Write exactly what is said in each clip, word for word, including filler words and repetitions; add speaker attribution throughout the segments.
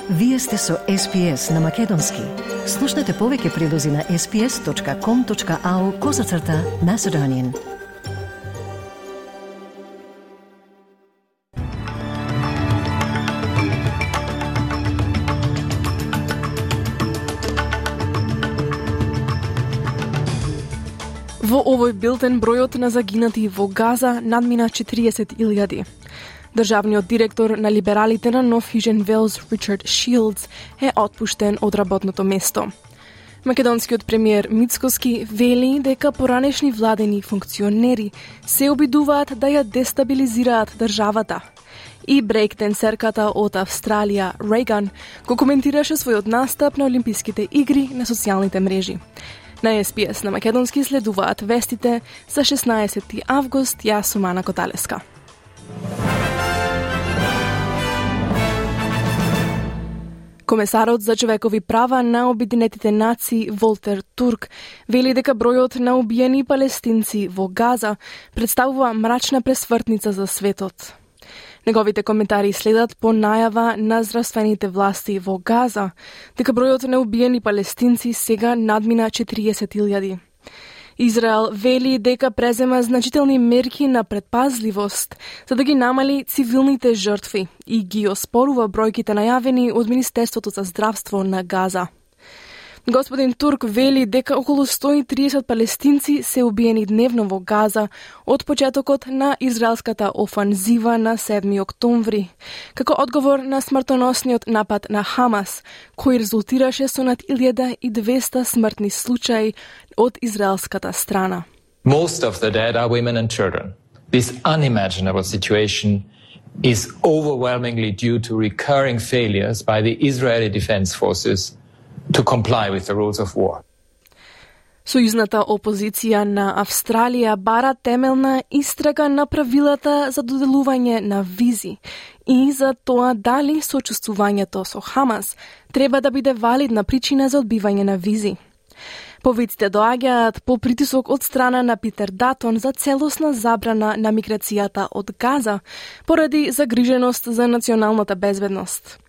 Speaker 1: Вие сте со Ес Би Ес на Македонски. Слушнете повеќе прилози на ес би ес точка ком точка ау козацрта Macedonian.
Speaker 2: Во овој билтен бројот на загинати во Газа надмина четириесет илјади. Државниот директор на либералите на Нов Южен Велс, Ричард Шилдс, е отпуштен од работното место. Македонскиот премиер Мицкоски вели дека поранешни владени функционери се обидуваат да ја дестабилизираат државата. И брейкденсерката од Австралија, Рейган, го коментираше својот настап на Олимписките игри на социјалните мрежи. На Ес Би Ес на Македонски следуваат вестите за шеснаесети август, јас сум Ана Коталеска. Комесарот за човекови права на Обединетите нации Волтер Турк вели дека бројот на убиени палестинци во Газа представува мрачна пресвртница за светот. Неговите коментари следат по најава на здравствените власти во Газа дека бројот на убиени палестинци сега надмина четириесет илјади. Израел вели дека презема значителни мерки на предпазливост за да ги намали цивилните жртви и ги оспорува бројките најавени од Министерството за здравство на Газа. Господин Турк вели дека околу сто и триесет палестинци се убиени дневно во Газа од почетокот на израелската офанзива на седми октомври, како одговор на смртоносниот напад на Хамас, кој резултираше со над илјада и двесте смртни случаи од израелската страна.
Speaker 3: Most of the dead are women and children. This unimaginable situation is overwhelmingly due to recurring failures by the Israeli Defense Forces to comply with the rules of war.
Speaker 2: Сојузната опозиција на Австралија бара темелна истрага на правилата за доделување на визи и за тоа дали сочувствувањето со Хамас треба да биде валидна причина за одбивање на визи. Повиците доаѓаат по притисок од страна на Питер Датон за целосна забрана на миграцијата од Газа поради загриженост за националната безбедност.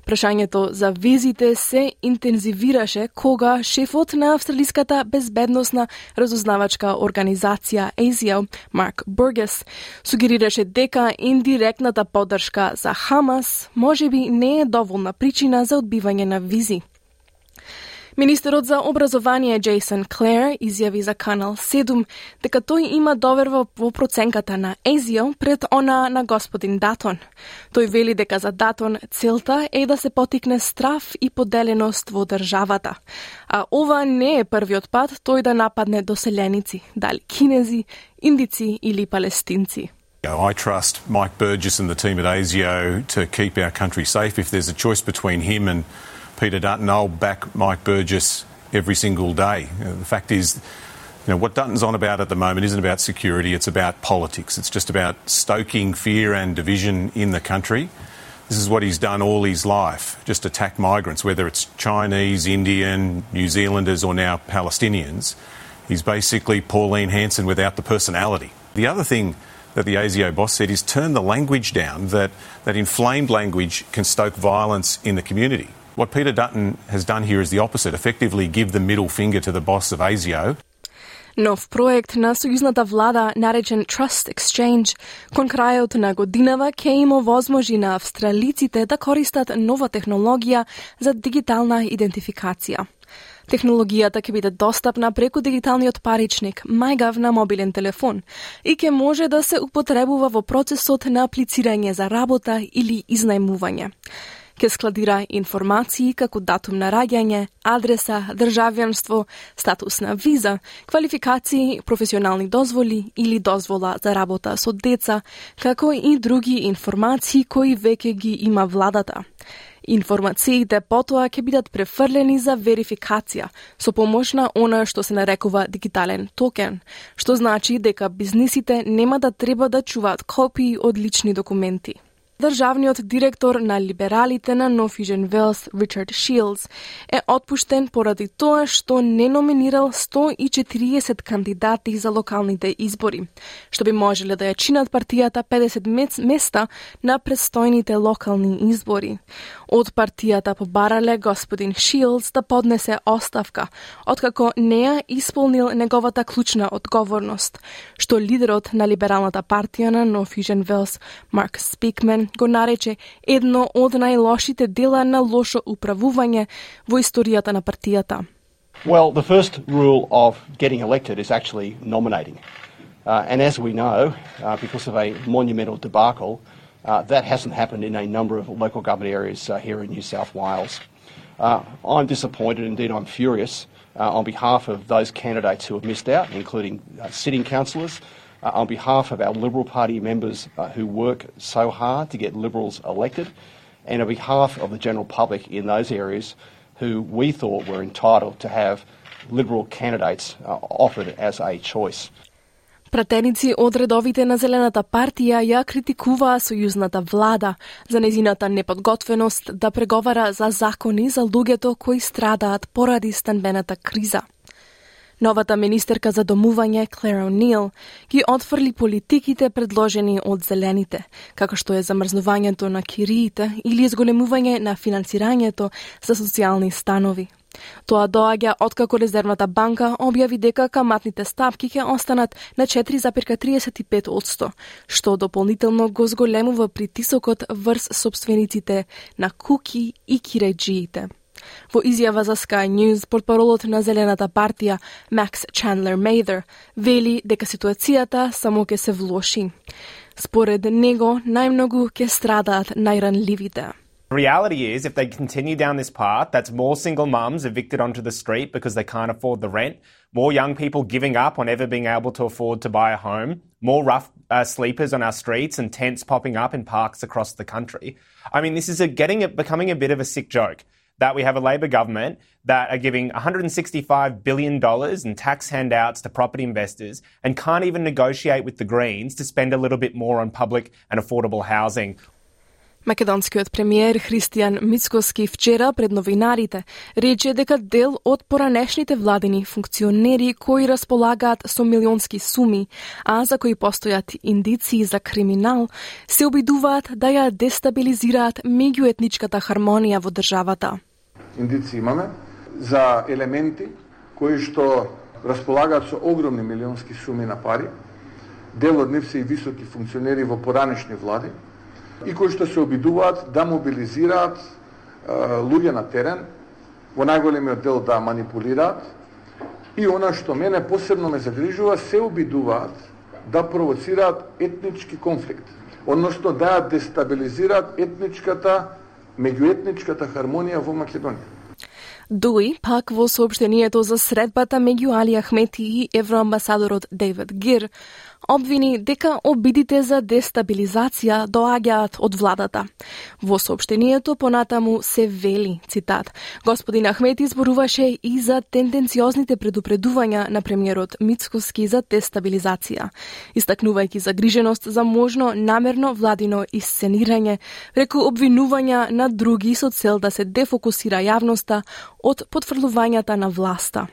Speaker 2: Прашањето за визите се интензивираше кога шефот на австралиската безбедносна разузнавачка организација А С И О, Марк Бургес, сугерираше дека индиректната поддршка за Хамас можеби не е доволна причина за одбивање на визи. Министерот за образование Джейсон Клер изјави за Канал седум дека тој има доверба во проценката на А С И О пред она на господин Датон. Тој вели дека за Датон целта е да се потикне страф и поделеност во државата. А ова не е првиот пат тој да нападне доселеници, дали кинези, индици или палестинци.
Speaker 4: I trust Mike Burgess and the team at A S I O to keep our country safe. If there's a choice between him and Peter Dutton, I'll back Mike Burgess every single day. Uh, the fact is, you know, what Dutton's on about at the moment isn't about security, it's about politics. It's just about stoking fear and division in the country. This is what he's done all his life, just attack migrants, whether it's Chinese, Indian, New Zealanders or now Palestinians. He's basically Pauline Hanson without the personality. The other thing that the A S I O boss said is turn the language down, that, that inflamed language can stoke violence in the community. What Peter Dutton has done here is the opposite, effectively give the middle finger to the boss of A S I O.
Speaker 2: Нов проект на сојузната влада, наречен Trust Exchange, кон крајот на годинава ќе им овозможи на австралиците да користат нова технологија за дигитална идентификација. Технологијата ќе биде достапна преку дигиталниот паричник, MyGov на мобилен телефон и ќе може да се употребува во процесот на аплицирање за работа или изнајмување. Ке складира информации како датум на раѓање, адреса, државјанство, статус на виза, квалификации, професионални дозволи или дозвола за работа со деца, како и други информации кои веќе ги има владата. Информациите потоа ќе бидат префрлени за верификација со помош на она што се нарекува дигитален токен, што значи дека бизнисите нема да треба да чуваат копии од лични документи. Државниот директор на либералите на No Vision Wales, Richard Shields, е отпуштен поради тоа што не номинирал сто и четириесет кандидати за локалните избори, што би можеле да ја чинат партијата педесет места на предстојните локални избори. Од партијата побарале господин Shields да поднесе оставка, откако не ја исполнил неговата клучна одговорност, што лидерот на либералната партија на No Vision Wales, Mark Speakman, го нарече едно од најлошите дела на лошо управување во историјата на партијата.
Speaker 5: Well, the first rule of getting elected is actually nominating. Uh, and as we know, uh, because of a monumental debacle, uh, that hasn't happened in a number of local government areas uh, here in New South Wales. Uh, I'm disappointed, indeed I'm furious, uh, on behalf of those candidates who have missed out, including uh, sitting councillors, Uh, on behalf of our Liberal Party members uh, who work so hard to get Liberals elected, and on behalf of the general public in those areas who we thought were entitled to have Liberal candidates uh, offered as a choice.
Speaker 2: Пратеници од редовите на Зелената партија ја критикуваа сојузната влада за нејзината неподготвеност да преговара за закони за луѓето кои страдаат поради станбената криза. Новата министерка за домување, Claire O'Neill, ги отфрли политиките предложени од зелените, како што е замрзнувањето на кириите или изголемување на финансирањето за социјални станови. Тоа доаѓа откако Резервната банка објави дека каматните стапки ќе останат на четири зарез триесет и пет одсто, што дополнително го зголемува притисокот врз сопствениците на куки и киреџиите. Во изјава за Sky News, портпаролот на Зелената партија, Max Chandler Mather, вели дека ситуацијата само ќе се влоши. Според него, најмногу ќе страдаат најранливите.
Speaker 6: The reality is, if they continue down this path, that's more single mums evicted onto the street because they can't afford the rent, more young people giving up on ever being able to afford to buy a home, more rough uh, sleepers on our streets and tents popping up in parks across the country. I mean, this is a, getting it, becoming a bit of a sick joke. That we have a Labor government that are giving one hundred sixty-five billion dollars in tax handouts to property investors and can't even negotiate with the Greens to spend a little bit more on public and affordable housing.
Speaker 2: Македонскиот премиер Христијан Мицкоски вчера пред новинарите рече дека дел од поранешните владини функционери кои располагаат со милионски суми, а за кои постојат индиции за криминал, се обидуваат да ја дестабилизираат меѓуетничката хармонија во државата.
Speaker 7: Индиции имаме за елементи кои што располагаат со огромни милионски суми на пари, дел од нив се и високи функционери во поранешни влади, и кои што се обидуваат да мобилизираат е, луѓе на терен, во најголемиот дел да манипулираат, и она што мене посебно ме загрижува, се обидуваат да провоцираат етнички конфликт, односно да ја дестабилизираат етничката, меѓуетничката хармонија во Македонија.
Speaker 2: Дуи, пак во соопштението за средбата меѓу Али Ахмети и евроамбасадорот Дейвид Гир, обвини дека обидите за дестабилизација доаѓаат од владата. Во соопштението понатаму се вели, цитат, господин Ахмети зборуваше и за тенденциозните предупредувања на премиерот Мицкоски за дестабилизација, истакнувајќи загриженост за можно намерно владино исценирање преку обвинувања на други со цел да се дефокусира јавноста од потврлувањата на власта.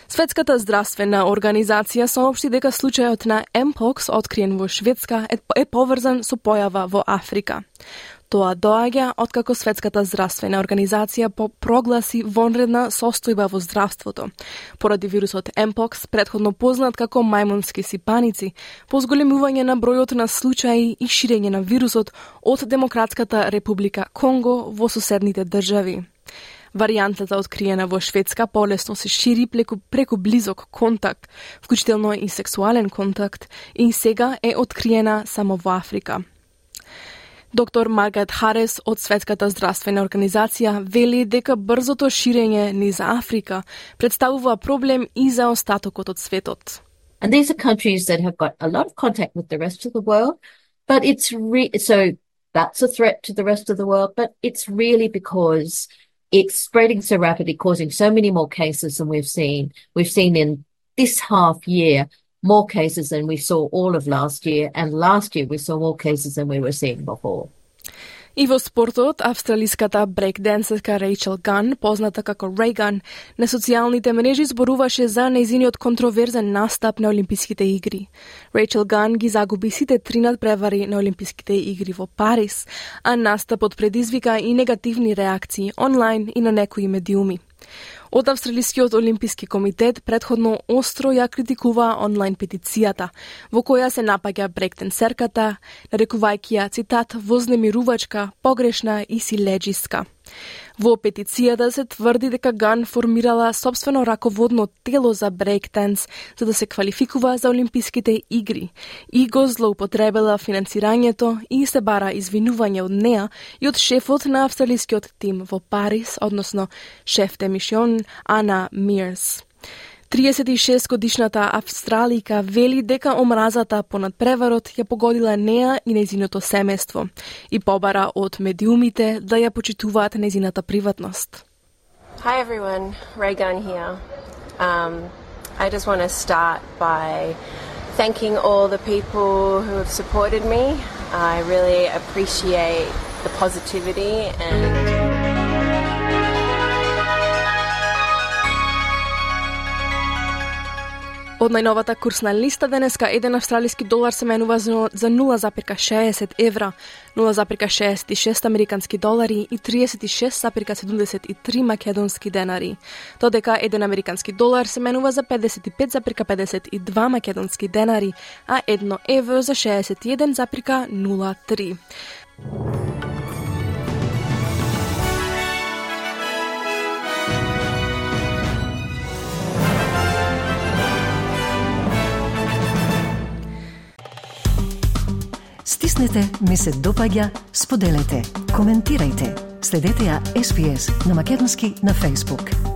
Speaker 2: Светската здравствена организација соопшти дека случајот на Mpox откриен во Шведска е поврзан со појава во Африка. Тоа доаѓа откако Светската здравствена организација прогласи вонредна состојба во здравството поради вирусот Mpox, претходно познат како мајмунски сипаници, по зголемување на бројот на случаи и ширење на вирусот од Демократската република Конго во соседните држави. Варијантата откриена во Шведска полесно се шири преку, преку близок контакт, вклучително и сексуален контакт, и сега е откриена само во Африка. Доктор Маргарет Харес од Светската здравствена организација вели дека брзото ширење низ Африка представува проблем и за остатокот од светот.
Speaker 8: And these are countries that have got a lot of contact with the rest of the world, but it's re- so that's a threat to the rest of the world, but it's really because it's spreading so rapidly, causing so many more cases than we've seen. We've seen in this half year more cases than we saw all of last year, and last year we saw more cases than we were seeing before.
Speaker 2: И во спортот, австралиската брейкденсерка Рейчел Ган, позната како Рейган, на социјалните мрежи зборуваше за нејзиниот контроверзен настап на Олимписките игри. Рейчел Ган ги загуби сите три надпревари на Олимписките игри во Париз, а настапот предизвика и негативни реакции онлайн и на некои медиуми. Од Австралискиот олимписки комитет претходно остро ја критикува онлайн петицијата, во која се напаѓа брейкденсерката, нарекувајќи ја, цитат, вознемирувачка, погрешна и силеџиска. Во петицијата се тврди дека Ган формирала собствено раководно тело за брейкденс за да се квалификува за Олимписките игри и го злоупотребила финансирањето и се бара извинување од неа и од шефот на австралискиот тим во Париз, односно шеф де мисион Ана Мирс. триесет и шест годишната австралика вели дека омразата по надпреварот ја погодила неа и нејзиното семејство и побара од медиумите да ја почитуваат нејзината приватност.
Speaker 9: Hi everyone, Raygun here. Um, I just want to start by thanking all the people who have supported me. I really appreciate the positivity and
Speaker 2: Од најновата курсна листа денеска еден австралиски долар се менува за нула запирка шеесет евра, нула запирка шеесет и шест американски долари и триесет и шест запирка седумдесет и три македонски денари. Додека еден американски долар се менува за педесет и пет запирка педесет и два македонски денари, а едно евро за шеесет и еден запирка нула три.
Speaker 1: Стиснете, ми се допаѓа, споделете, коментирајте. Следете ја Ес Би Ес на македонски на Facebook.